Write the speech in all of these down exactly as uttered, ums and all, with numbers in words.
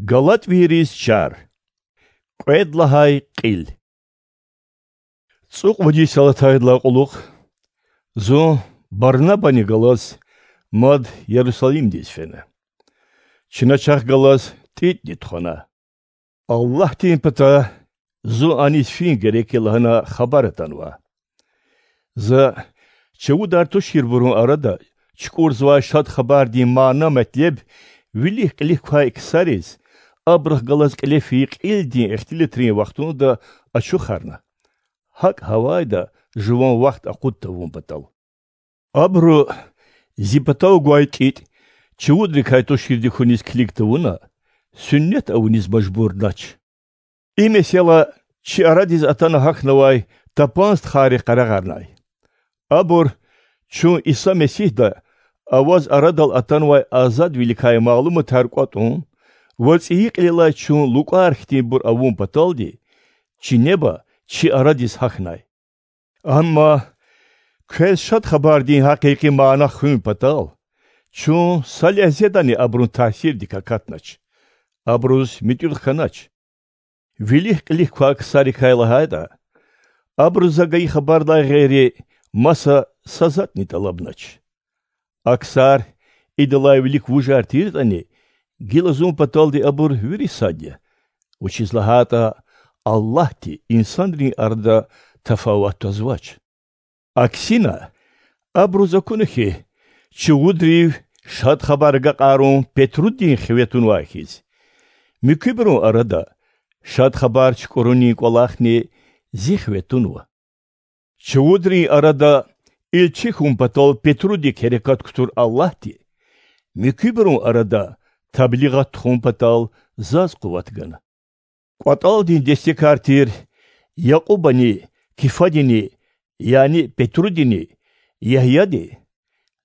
ГалатӀвийриз чар. Кьвед лагьай кьил. ЦӀукьвад йис алатайдалай кьулухъ зун Барнабани галаз мад Ярусалимдиз фена. Чна чахъ галаз ТӀитӀни тухвана. Аллагьдин патай зун аниз фин герек я лагьана хабар атанва. За чувудар туширбурун арада чукӀурзавай Шад Хабардин мана-метлеб вилик-кьилик квай ксариз, абурухъ галаз кьиле фейи кьилдин ихтилатрин вахтунда ачухарна, гьакӀ гьавайда жуван вахт акъуд тавун патал. Абуру зи патав гвай ТӀитӀ чувудрикай туширди хьуниз килиг тавуна, суьннет авуниз мажбурнач. И месэла чи арадиз атана гьахьнавай тапан стхайрихъ къарагъарнай. Абур чун Иса Месигьда аваз арадал атанвай азадвиликай малуматар кӀватӀун ва цӀийи кьилелай чун лукӀар хьтинбур авун паталди чи неба чи арадиз гьахьнай. Амма квез Шад Хабардин гьакъикъи мана хуьн патал чун са легьзедани абурун таъсирдик акатнач, абуруз муьтӀуьгъ хьанач. Вилик-кьилик квай ксарикай лагьайтӀа, абуру за гайи хабардай гъейри маса са затӀни тӀалабнач. А ксар идалай вилик вужар тиртӀани, гила зун паталди абур вири сад я, вучиз лагьайтӀа Аллагьди инсанрин арада тафават твазвач. Аксина, абуруз акуна хьи, чувудрив Шад Хабар агакьарун Петрудин хиве тунвай хьиз, муькуьбурун арада Шад Хабар чукӀурунин кӀвалахни зи хиве тунва. Чувудрин арада илчи хьун патал Петрудик гьерекат кутур Аллагьди муькуьбурун арада таблигъат тухун патал заз къуват гана. КӀватӀалдин дестекар тир Якьубани, Кифадини, яни Петрудини, Ягьяди,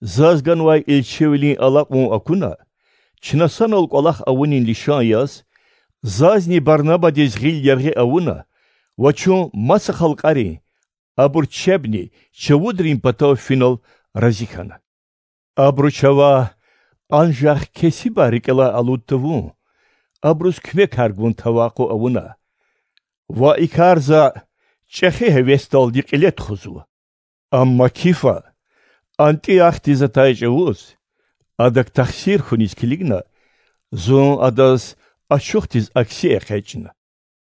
заз ганвай илчивилин алакьун акуна, чна санал кӀвалах авунин лишан яз, зазни Барнабадиз гъил яргъи авуна ва чун маса халкьарин, абур чебни чувудрин патав финал рази хьана. Абуру чавай анжах кесибар рикӀелай алуд тавун, абуруз куьмекар гун тавакъу авуна ва и кар за чӀехи гьевесдалди кьиле тухузва. Амма Кифа Антиохдиз атай чӀавуз, адак тахсир хьуниз килигна, зун адаз ачухдиз акси экъечӀна.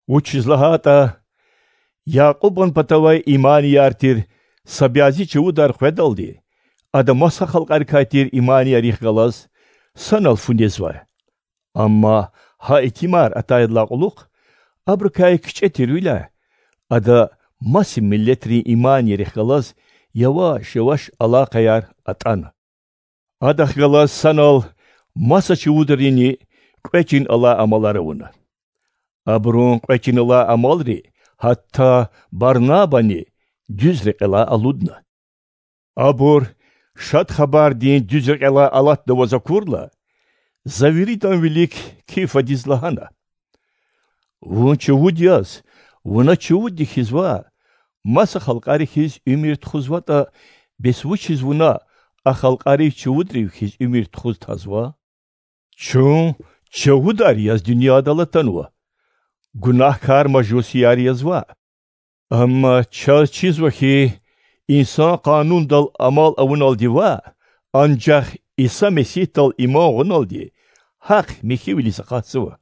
Вучиз лагьайтӀа Якьубан патавай иманияр тир са бязи чувудар къведалди, ада маса халкьарикай тир иманиярихъ галаз санал фу незвай. Амма гьа итимар атайдалай кьулухъ, абурукай кичӀе тирвиляй, ада маса миллетрин иманиярихъ галаз яваш-яваш алакъаяр атӀана. Адахъ галаз санал маса чувудрини кьве чин алай амалар авуна. Абурун кьве чин алай амалри гьатта Барнабани дуьз рекьелай алудна. Абур Шад Хабардин дуьз рекьелай алатнаваз акурла, за виридан вилик Кифадиз лагьана: Вун чувуд яз, вуна чувудди хьиз ваъ, маса халкьари хьиз уьмуьр тухузватӀа, бес вучиз вуна а халкьарив чувудрив хьиз уьмуьр тухуз тазва? Чун чувудар яз дуьньядал атанва, гунагькар мажусияр яз ваъ. Амма чаз чизва хьи, инсан Къанундал амал авуналди ваъ, анжах Иса Месигьдал иман гъуналди гьахъ михьивилиз акъатзава.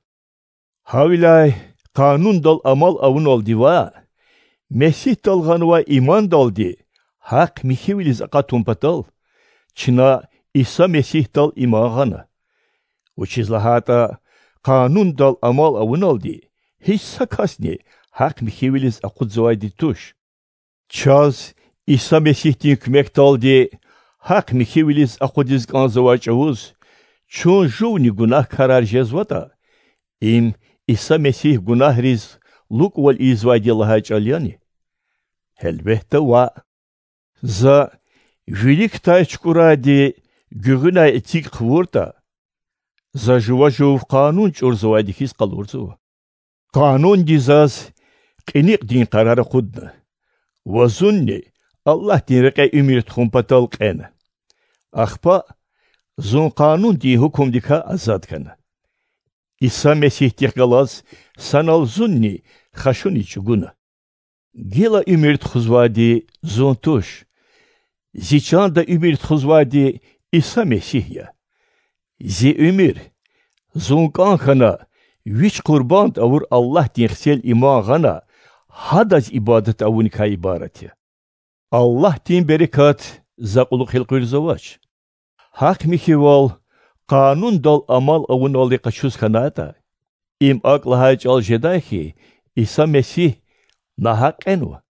Гьавиляй Къанундал амал авуналди ваъ, Месигьдал гъанвай имандалди гьахъ михьивилиз акъатун патал, чна Иса Месигьдал иман гъана. Вучиз лагьайтӀа Къанундал амал авуналди гьич са касни гьахъ михьивилиз акъудзавайди туш. Чаз Иса Месигьдин куьмекдалди гьахъ михьивилиз акъудиз кӀанзавай чӀавуз чун жувни гунагькарар жезватӀа, им Иса Месигь гунагьриз лукӀвал ийизвайди я лагьай чӀал яни? Гьелбетда, ваъ. За виликдай чукӀурайди гуьгъуьнай эциг хъувуртӀа, за жува жув Къанун чӀурзавайди хьиз къалурзава. Къанунди заз кьиникьдин къарар акъудна ва зунни Аллагьдин рекье уьмуьр тухун патал кьена. Ахпа зун Къанундин гьукумдикай азад хьана. Иса Месигьдихъ галаз санал зунни хашуниз чІугуна. Гила уьмуьр тухузвайди Зун туш. Зи чанда уьмуьр тухузвайди Иса Месигь я. Зи уьмуьр, Зун кІан хьана, Вич къурбанд авур Аллагьдин Хцел иман гъана, Гьадаз ибадат авуникай ибарат я. Аллагьдин берекат за кьулухъ элкъуьрзавач. Гьахъ-михьивал, къанундал амал авуналди къачуз хьанайтІа, им акІ лагьай чІал жедай хьи, Иса Месигь нагьакь кьенва.